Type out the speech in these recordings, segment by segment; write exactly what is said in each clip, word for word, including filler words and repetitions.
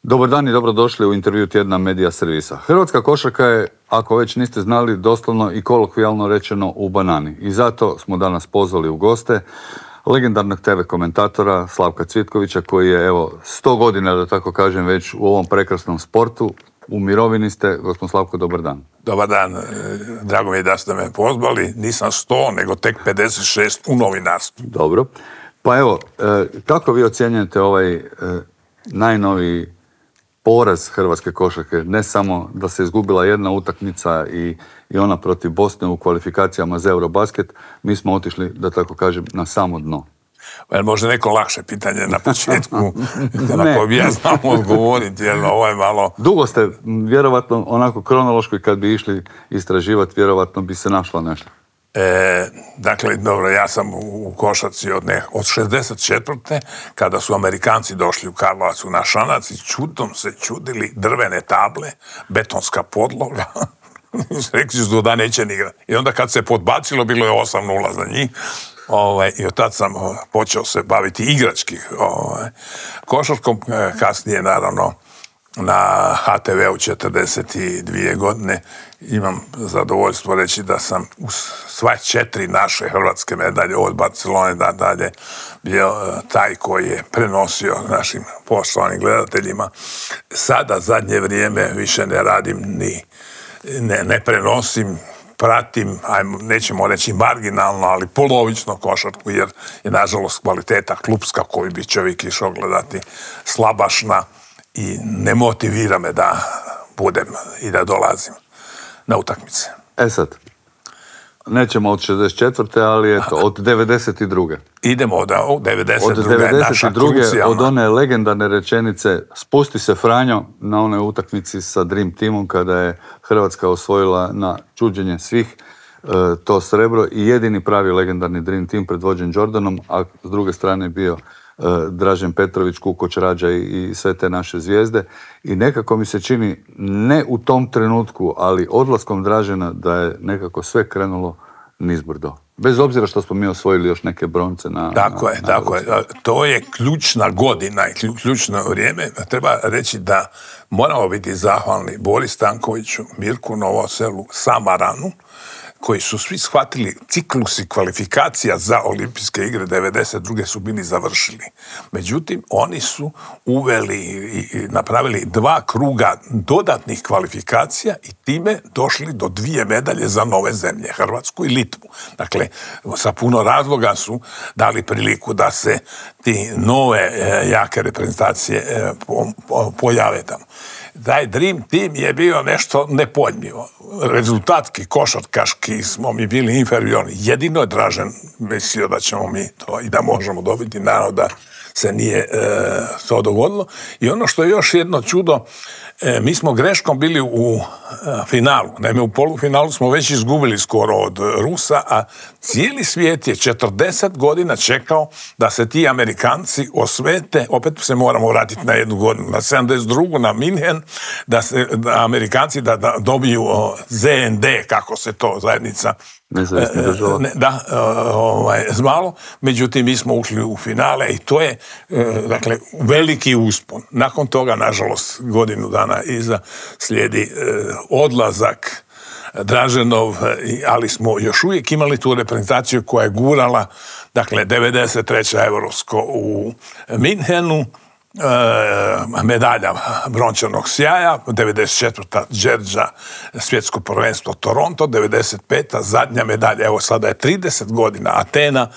Dobar dan i dobrodošli u intervju tjedna Medija servisa. Hrvatska košarka je, ako već niste znali, doslovno i kolokvijalno rečeno u banani. I zato smo danas pozvali u goste legendarnog te ve komentatora Slavka Cvitkovića, koji je, evo, sto godina, da tako kažem, već u ovom prekrasnom sportu. U mirovini ste. Gospodin Slavko, dobar dan. Dobar dan, drago mi je da ste me pozvali. Nisam sto, nego tek pedeset šest u novinarstvu. Dobro. Pa evo, kako vi ocjenjujete ovaj najnoviji poraz hrvatske košarke? Ne samo da se izgubila jedna utakmica i, i ona protiv Bosne u kvalifikacijama za Eurobasket, mi smo otišli, da tako kažem, na samo dno. Može neko lakše pitanje na početku, na koje bi ja znam odgovoriti, jer ovo je malo... Dugo ste, vjerovatno, onako kronološko, i kad bi išli istraživati, vjerovatno bi se našla nešto. E, dakle, dobro, ja sam u košarci od, ne, od šezdeset četvrte kada su Amerikanci došli u Karlovac u naš Šanac i čudom se čudili drvene table, betonska podloga. Rekli su da neće ni igrati. I onda kad se podbacilo, bilo je osam nula za njih. Ovaj, i od tad sam počeo se baviti igrački ovaj, košarkom, kasnije naravno na ha te veu četrdeset dvije godine. Imam zadovoljstvo reći da sam u sva četiri naše hrvatske medalje od Barcelone da dalje bio taj koji je prenosio našim poštovanim gledateljima. Sada zadnje vrijeme više ne radim ni ne, ne prenosim, pratim, ajmo, nećemo reći marginalno, ali polovično košarku, jer je nažalost kvaliteta klupska koju bi čovjek išao gledati slabašna i ne motivira me da budem i da dolazim na utakmice. E sad, nećemo od šezdeset četvrte ali eto, od devedeset druge Idemo od devedeset druge Od devedeset druge od one legendarne rečenice "Spusti se Franjo" na onoj utakmici sa Dream Teamom kada je Hrvatska osvojila na čuđenje svih e, to srebro i jedini pravi legendarni Dream Team predvođen Jordanom, a s druge strane je bio e, Dražen Petrović, Kukoč, Rađa i, i sve te naše zvijezde. I nekako mi se čini, ne u tom trenutku, ali odlaskom Dražena, da je nekako sve krenulo nizbrdo. Bez obzira što smo mi osvojili još neke bronce na... Tako na, je, na tako je. To je ključna godina i ključno vrijeme. Treba reći da moramo biti zahvalni Bori Stankoviću, Mirku Novoselu, Samaranu, koji su svi shvatili ciklusi kvalifikacija za olimpijske igre devedeset druge su bili završili. Međutim, oni su uveli i napravili dva kruga dodatnih kvalifikacija i time došli do dvije medalje za nove zemlje, Hrvatsku i Litvu. Dakle, sa puno razloga su dali priliku da se ti nove jake reprezentacije pojave tamo. Taj Dream Team je bio nešto nepojmljivo. Rezultatski, košarkaški smo mi bili inferiorni. Jedino je Dražen mislio da ćemo mi to i da možemo dobiti, naravno da se nije e, to dogodilo. I ono što je još jedno čudo, e, mi smo greškom bili u e, finalu. Naime, u polufinalu smo već izgubili skoro od Rusa, a cijeli svijet je četrdeset godina čekao da se ti Amerikanci osvete, opet se moramo vratiti na jednu godinu, na sedamdeset drugu na Minhen, da se da Amerikanci da, da dobiju o, ze en de, kako se to zajednica Ne, da, ovaj, zvalo. Međutim, mi smo ušli u finale i to je, dakle, veliki uspon. Nakon toga, nažalost, godinu dana iza slijedi odlazak Draženov, ali smo još uvijek imali tu reprezentaciju koja je gurala, dakle, devedeset treće Europsko u Minhenu, E, medalja brončanog sjaja, devedeset četvrta Đerđa svjetsko prvenstvo Toronto, devedeset peta zadnja medalja, evo sada je trideset godina Atena,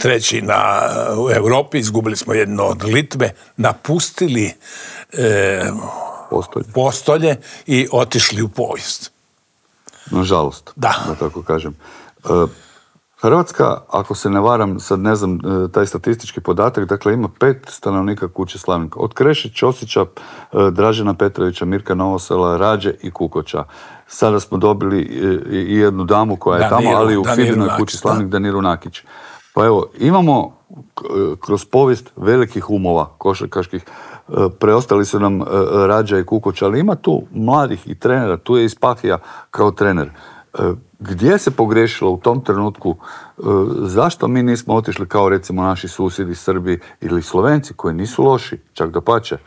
treći na, u Europi, izgubili smo jedno od Litve, napustili e, postolje. postolje i otišli u povijest. Nažalost, da, da tako kažem. E, Hrvatska, ako se ne varam, sad ne znam taj statistički podatak, dakle ima pet stanovnika kuće slavnika. Od Kreše, Ćosića, Dražena Petrovića, Mirka Novosela, Rađe i Kukoča. Sada smo dobili i jednu damu koja je Daniru, tamo, ali u Daniru Fidinoj Nakić, kući slavnik, da. Daniru Nakić. Pa evo, imamo kroz povijest velikih umova košarkaških, preostali su nam Rađa i Kukoč, ali ima tu mladih i trenera, tu je i Spahija kao trener. Gdje se pogriješilo u tom trenutku? Zašto mi nismo otišli kao recimo naši susjedi Srbi ili Slovenci koji nisu loši, čak dapače?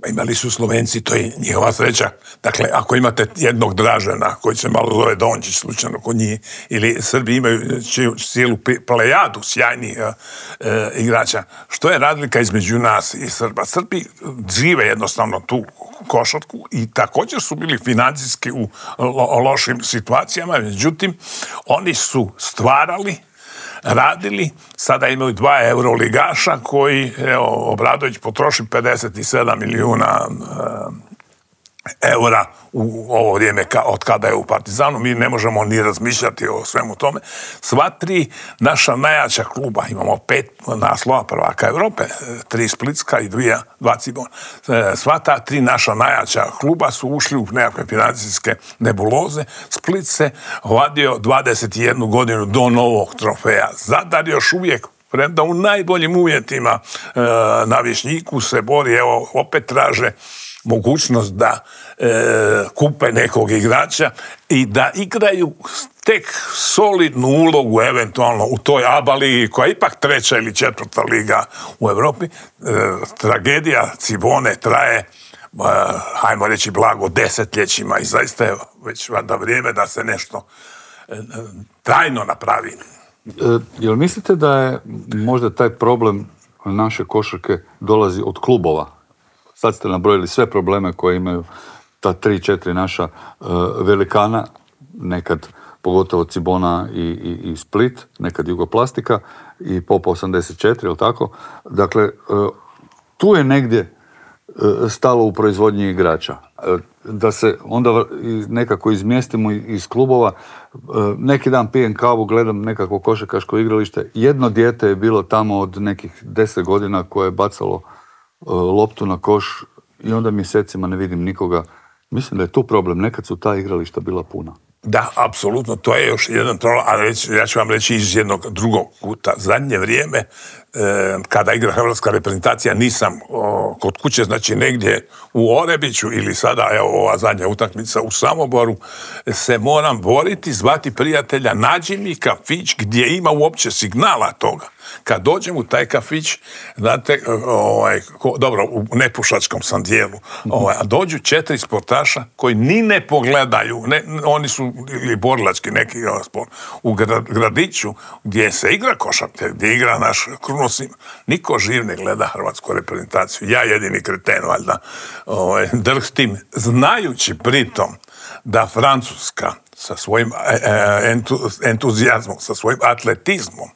Imali su Slovenci, to je njihova sreća. Dakle, ako imate jednog Dražena, koji se malo zove Dončić, slučajno kod njih, ili Srbi imaju cijelu plejadu sjajnih uh, uh, igrača, što je razlika između nas i Srba? Srbi žive jednostavno tu košarku i također su bili financijski u lo- lošim situacijama, međutim, oni su stvarali, radili, sada imaju dva euroligaša koji, evo, Obradović potroši pedeset sedam milijuna e, eura u ovo vrijeme ka, od kada je u Partizanu. Mi ne možemo ni razmišljati o svemu tome. Sva tri naša najjača kluba, imamo pet naslova prvaka Europe, tri splitska i dvije, dva Cibona. Sva ta tri naša najjača kluba su ušli u nekakve financijske nebuloze. Split se vadio dvadeset jednu godinu do novog trofeja. Zadar još uvijek, premda u najboljim uvjetima e, na Višnjiku se bori, evo, opet traže mogućnost da e, kupe nekog igrača i da igraju tek solidnu ulogu eventualno u toj A B A ligi, koja je ipak treća ili četvrta liga u Europi. E, tragedija Cibone traje, e, hajmo reći blago, desetljećima i zaista je već valjda vrijeme da se nešto e, trajno napravi. E, jel mislite da je možda taj problem naše košarke dolazi od klubova? Sad ste nabrojili sve probleme koje imaju ta tri, četiri naša uh, velikana, nekad pogotovo Cibona i, i, i Split, nekad Jugoplastika i Pop osamdeset četiri, jel tako? Dakle, uh, tu je negdje uh, stalo u proizvodnji igrača. Uh, da se onda nekako izmjestimo iz klubova. Uh, neki dan pijem kavu, gledam nekako košarkaško igralište. Jedno dijete je bilo tamo od nekih deset godina koje je bacalo loptu na koš i onda mjesecima ne vidim nikoga. Mislim da je tu problem. Nekad su ta igrališta bila puna. Da, apsolutno. To je još jedan problem, ali ja ću vam reći iz jednog drugog kuta. Zadnje vrijeme, eh, kada igra hrvatska reprezentacija, nisam o, kod kuće, znači negdje u Orebiću ili sada, evo, ova zadnja utakmica u Samoboru, se moram boriti, zvati prijatelja, nađi mi kafić gdje ima uopće signala toga. Kad dođem u taj kafić, znate, ovaj, ko, dobro, u nepušačkom sam dijelu, ovaj, a dođu četiri sportaša koji ni ne pogledaju, ne, oni su ili borilački neki sport, u gradiću gdje se igra košarka, gdje igra naš Krunosim, niko živ ne gleda hrvatsku reprezentaciju. Ja jedini kreten, valjda, ovaj, drhtim, znajući pritom da Francuska sa svojim entuzijazmom, sa svojim atletizmom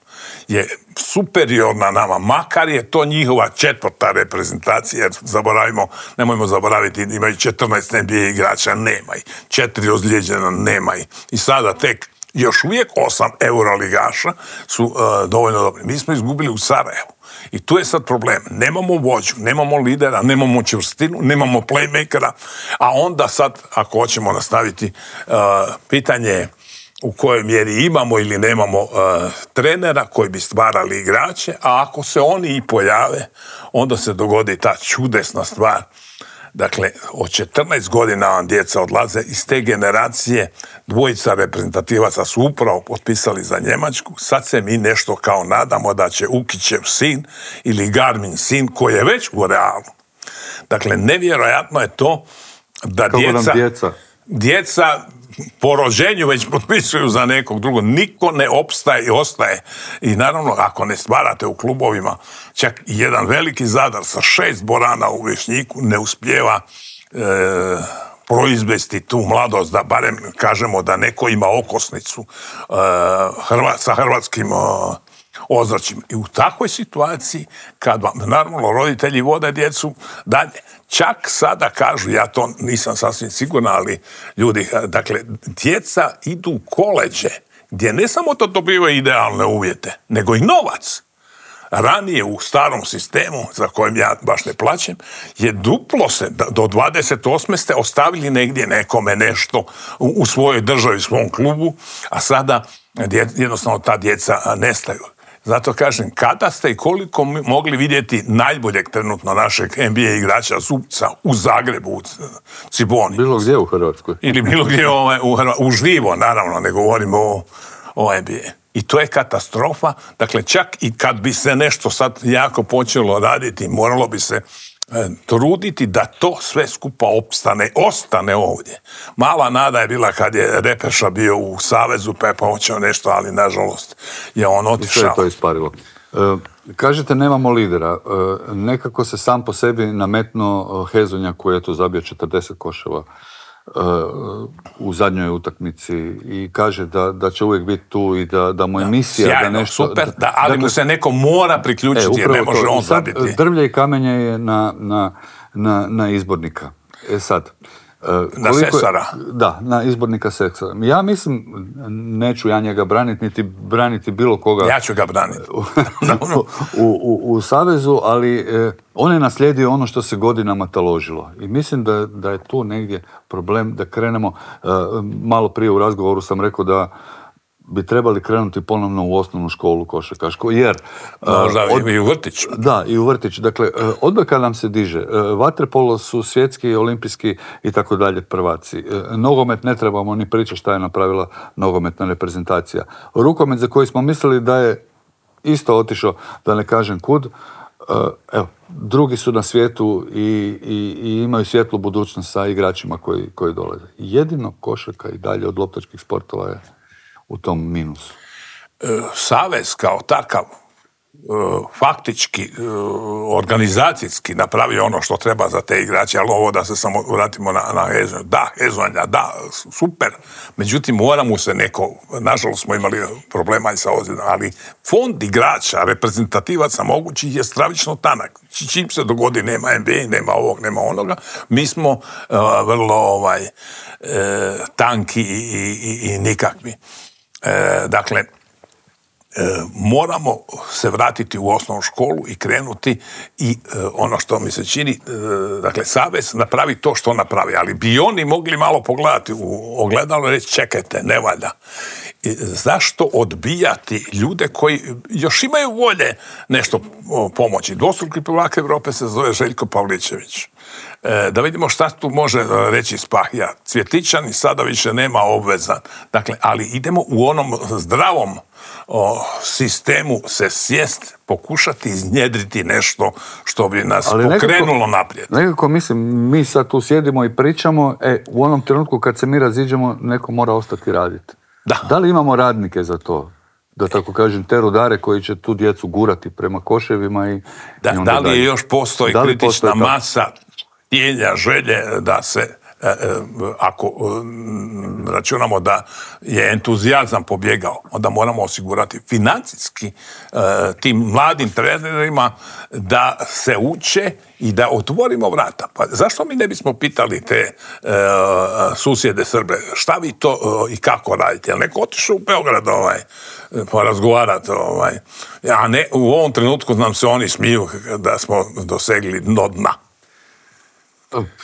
je superiorna nama, makar je to njihova četvrta reprezentacija, jer zaboravimo, nemojmo zaboraviti, imaju četrnaest N B A igrača, nema ih, četiri ozlijeđena, nema ih. I sada tek još uvijek osam euroligaša su uh, dovoljno dobri. Mi smo izgubili u Sarajevu. I tu je sad problem. Nemamo vođu, nemamo lidera, nemamo čvrstinu, nemamo playmakera, a onda sad, ako hoćemo nastaviti, uh, pitanje je u kojoj mjeri imamo ili nemamo uh, trenera koji bi stvarali igrače, a ako se oni i pojave, onda se dogodi ta čudesna stvar. Dakle, od četrnaest godina vam djeca odlaze iz te generacije, dvojica reprezentativaca su upravo potpisali za Njemačku, sad se mi nešto kao nadamo da će Ukićev sin ili Garmin sin koji je već u Realu. Dakle, nevjerojatno je to da djeca, djeca? djeca po rođenju već potpisuju za nekog drugog. Niko ne opstaje i ostaje. I naravno, ako ne stvarate u klubovima, čak i jedan veliki Zadar sa šest Borana u Višnjiku ne uspijeva e, proizvesti tu mladost, da barem kažemo da neko ima okosnicu e, hrva, sa hrvatskim e, ozračjem. I u takvoj situaciji, kad vam, naravno, roditelji vode djecu dalje, čak sada kažu, ja to nisam sasvim siguran, ali ljudi, dakle, djeca idu u koleđe, gdje ne samo to dobivaju idealne uvjete, nego i novac. Ranije u starom sistemu, za kojem ja baš ne plaćem, je duplo se, do dvadeset osme ste ostavili negdje nekome nešto u, u svojoj državi, u svom klubu, a sada jednostavno ta djeca nestaju. Zato kažem, kada ste i koliko mogli vidjeti najboljeg trenutno našeg N B A igrača Zubca u Zagrebu, u Ciboni? Bilo gdje u Hrvatskoj. Ili bilo gdje u, u živo, naravno, ne govorimo o, o N B A. I to je katastrofa. Dakle, čak i kad bi se nešto sad jako počelo raditi, moralo bi se truditi da to sve skupa opstane, ostane ovdje. Mala nada je bila kad je Repeša bio u Savezu, pa je počeo nešto, ali nažalost je on otišao. I sve je to isparilo. E, kažete nemamo lidera. E, nekako se sam po sebi nametno Hezonja koji je tu zabio četrdeset koševa u zadnjoj utakmici i kaže da, da će uvijek biti tu i da, da mu je misija sjajno, da nešto... super, da, ali dakle, mu se neko mora priključiti e, jer ne može to. On zabiti. Drvlje i kamenje je na, na, na, na izbornika. E sad... Na Sesara. Da, na izbornika Sesara. Ja mislim, neću ja njega braniti, niti braniti bilo koga... Ja ću ga braniti. u, u, u, u Savezu, ali eh, on je naslijedio ono što se godinama taložilo. I mislim da, da je tu negdje problem da krenemo... Eh, malo prije u razgovoru sam rekao da bi trebali krenuti ponovno u osnovnu školu košarkašku, jer... Možda od, i u vrtić. Da, i u vrtić. Dakle, odbojka nam se diže. Vaterpolo su svjetski, olimpijski i tako dalje prvaci. Nogomet ne trebamo ni pričati šta je napravila nogometna reprezentacija. Rukomet za koji smo mislili da je isto otišao, da ne kažem kud, evo, drugi su na svijetu i, i, i imaju svjetlu budućnost sa igračima koji, koji dolaze. Jedino košarka i dalje od loptačkih sportova je u tom minusu. Savez kao takav faktički, organizacijski napravio ono što treba za te igrače, ali ovo da se samo vratimo na, na Hezonja. Da, Hezonja, da, super. Međutim, mora mu se neko, nažalost smo imali problema i sa ozljedom, ali fond igrača, reprezentativaca mogućih je stravično tanak. Čim se dogodi, nema N B A, nema ovog, nema onoga, mi smo uh, vrlo ovaj, uh, tanki i, i, i nikakvi. Uh, dakle, E, moramo se vratiti u osnovnu školu i krenuti i e, ono što mi se čini, e, dakle, Savez napravi to što napravi, ali bi oni mogli malo pogledati u ogledalo i reći čekajte, ne valja. E, zašto odbijati ljude koji još imaju volje nešto pomoći? Dvostruki prvak Europe se zove Željko Pavličević. E, da vidimo šta tu može reći Spahija. Cvjetičan i sada više nema obveza. Dakle, ali idemo u onom zdravom o sistemu se sjest, pokušati iznjedriti nešto što bi nas ali pokrenulo nekako, naprijed. Nekako mislim, mi sad tu sjedimo i pričamo, e, u onom trenutku kad se mi raziđemo, neko mora ostati raditi. Da. Da li imamo radnike za to? Da tako kažem, te rudare koji će tu djecu gurati prema koševima i... Da, i da li je još postoji da kritična postoji masa htjenja, želje da se ako računamo da je entuzijazam pobjegao, onda moramo osigurati financijski tim mladim trenerima da se uče i da otvorimo vrata. Pa zašto mi ne bismo pitali te susjede Srbe, šta vi to i kako radite? Jel neko otišao u Beograd ovaj, porazgovarati? Ovaj. A ne, u ovom trenutku nam se oni smiju da smo dosegli dno dna.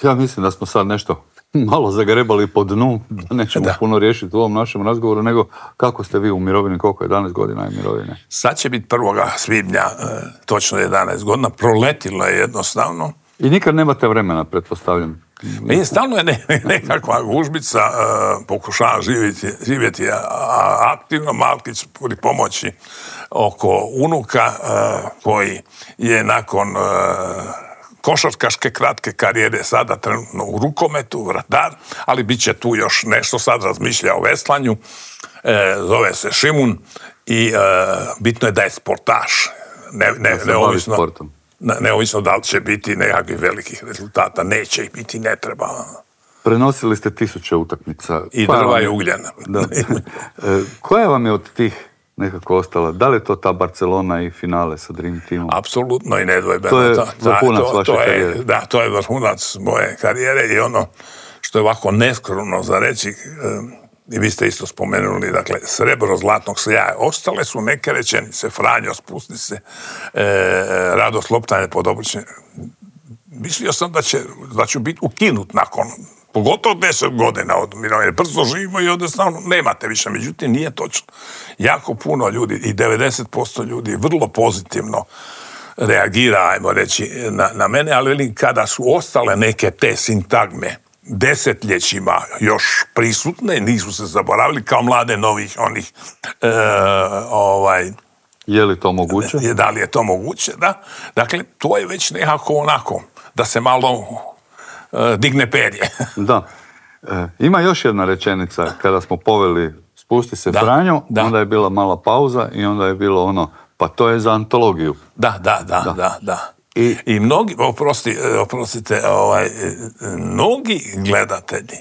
Ja mislim da smo sad nešto malo zagrebali po dnu, da nećemo da. puno riješiti u ovom našem razgovoru, nego kako ste vi u mirovini, koliko je jedanaest godina je mirovine? Sad će biti prvoga svibnja, točno jedanaest godina, proletilo je jednostavno. I nikad nemate vremena, pretpostavljam. Meni stalno je ne, nekakva gužbica, uh, pokušavam živjeti, živjeti aktivno, Malkić pri pomoći oko unuka uh, koji je nakon uh, košarkaške kratke karijere sada trenutno u rukometu, vratar, ali bit će tu još nešto, sad razmišlja o veslanju, e, zove se Šimun i e, bitno je da je sportaš, ne, ne, neovisno, ne, neovisno da li će biti nekakvih velikih rezultata, neće ih biti, ne treba. Prenosili ste tisuće utakmica. I drva je ugljena. Da. E, koja vam je od tih nekako ostala? Da li je to ta Barcelona i finale sa Dream Teamom? Apsolutno i nedvojbeno. To je vrhunac to, vaše to je, karijere. Da, to je vrhunac moje karijere i ono što je ovako neskromno za reći, i vi ste isto spomenuli, dakle, srebro zlatnog sjaja. Ostale su neke rečenice, Franjo, spusti se, e, radost loptanje pod oblične. Mislio sam da, će, da ću biti ukinut nakon pogotovo deset godina od mirovine. Brzo živimo i jednostavno nemate više. Međutim, nije točno. Jako puno ljudi i devedeset posto ljudi vrlo pozitivno reagira, ajmo reći, na, na mene, ali kada su ostale neke te sintagme desetljećima još prisutne, nisu se zaboravili kao mlade novih onih e, ovaj... Je li to moguće? Da li je to moguće, da. Dakle, to je već nekako onako da se malo uh, digne perje. Da. E, ima još jedna rečenica, kada smo poveli Spusti se da, Franjo, da. onda je bila mala pauza i onda je bilo ono, pa to je za antologiju. Da, da, da, da, da. da. I, I mnogi, oprosti, oprostite, ovaj, mnogi gledatelji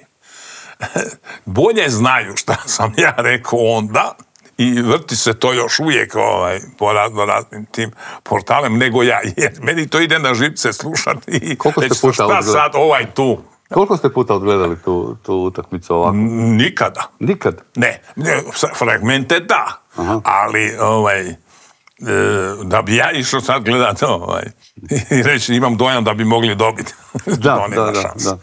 bolje znaju šta sam ja rekao onda i vrti se to još uvijek ovaj, po raznim tim portalem nego ja, jer meni to ide na živce slušati i reći šta sad ovaj tu. Koliko ste puta odgledali tu, tu utakmicu ovako? Nikada. Nikad? Ne, ne fragmente da, aha, ali ovaj, da bi ja išao sad gledati ovaj, i reći imam dojam da bi mogli dobiti. Da, da, da, da.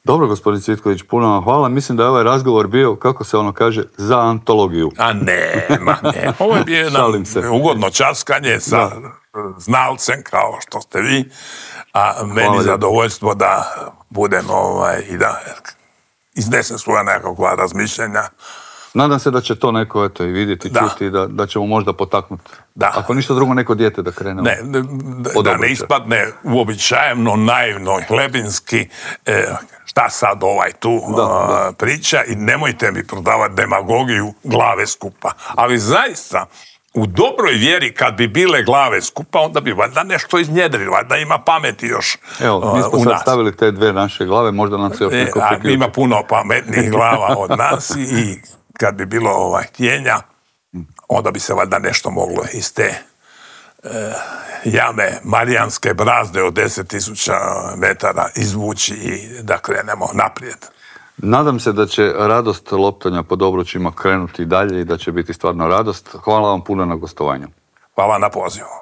Dobro, gospodin Cvitković, puno vam hvala. Mislim da je ovaj razgovor bio, kako se ono kaže, za antologiju. A ne, ma ne. Ovo je bio jedno ugodno časkanje sa da. znalcem kao što ste vi, a meni hvala zadovoljstvo da budem ovaj, i da iznesem svoja nekakva razmišljenja. Nadam se da će to neko eto, i vidjeti, da. čuti, da, da ćemo možda potaknuti. Da. Ako ništa drugo, neko dijete da krene. Ne, da, da ne ispadne uobičajeno, naivno, hlebinski, e, šta sad ovaj tu da, a, da. priča i nemojte mi prodavati demagogiju glave skupa. Ali zaista, u dobroj vjeri kad bi bile glave skupa, onda bi valjda nešto iznjedrilo, valjda ima pameti još Evo, mi smo sad stavili te dve naše glave, možda nam se još neko priključi. Ima puno pametnijih glava od nas i kad bi bilo ovaj, htjenja, onda bi se valjda nešto moglo iz te e, jame Marijanske brazde od deset tisuća metara izvući i da krenemo naprijed. Nadam se da će radost loptanja pod obručima krenuti dalje i da će biti stvarno radost. Hvala vam puno na gostovanju. Hvala na pozivu.